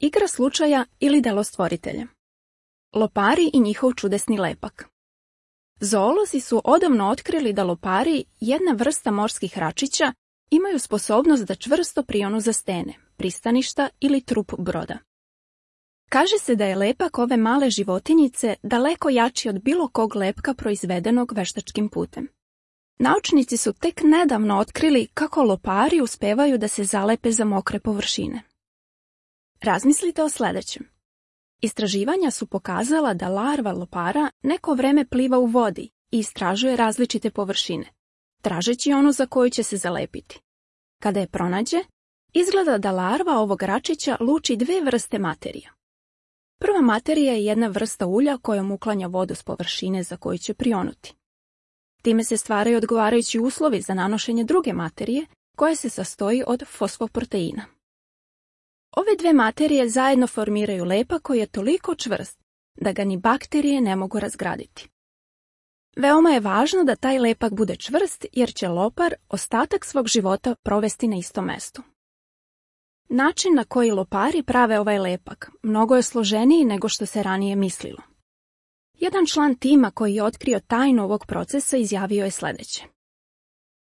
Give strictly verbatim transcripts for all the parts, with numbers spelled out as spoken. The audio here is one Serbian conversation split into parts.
igra slučaja ili delo stvoritelja. Lopari i njihov čudesni lepak. Zoolozi su odavno otkrili da lopari, jedna vrsta morskih račića, imaju sposobnost da čvrsto prionu za stene, pristaništa ili trup broda. Kaže se da je lepak ove male životinjice daleko jači od bilo kog lepka proizvedenog veštačkim putem. Naučnici su tek nedavno otkrili kako lopari uspevaju da se zalepe za mokre površine. Razmislite o sljedećem. Istraživanja su pokazala da larva lopara neko vreme pliva u vodi i istražuje različite površine, tražeći onu za koju će se zalepiti. Kada je pronađe, izgleda da larva ovog račića luči dve vrste materija. Prva materija je jedna vrsta ulja kojom uklanja vodu s površine za koju će prionuti. Time se stvaraju odgovarajući uslovi za nanošenje druge materije, koja se sastoji od fosfoproteina. Ove dve materije zajedno formiraju lepak koji je toliko čvrst da ga ni bakterije ne mogu razgraditi. Veoma je važno da taj lepak bude čvrst jer će lopar ostatak svog života provesti na istom mestu. Način na koji lopari prave ovaj lepak mnogo je složeniji nego što se ranije mislilo. Jedan član tima koji je otkrio tajnu ovog procesa izjavio je sljedeće.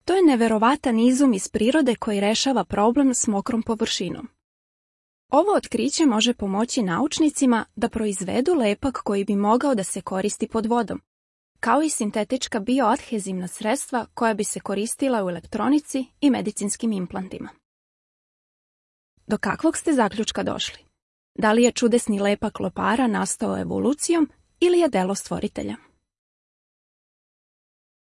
To je neverovatan izum iz prirode koji rešava problem s mokrom površinom. Ovo otkriće može pomoći naučnicima da proizvedu lepak koji bi mogao da se koristi pod vodom, kao i sintetička bioadhezivna sredstva koja bi se koristila u elektronici i medicinskim implantima. Do kakvog ste zaključka došli? Da li je čudesni lepak lopara nastao evolucijom ili je delo stvoritelja?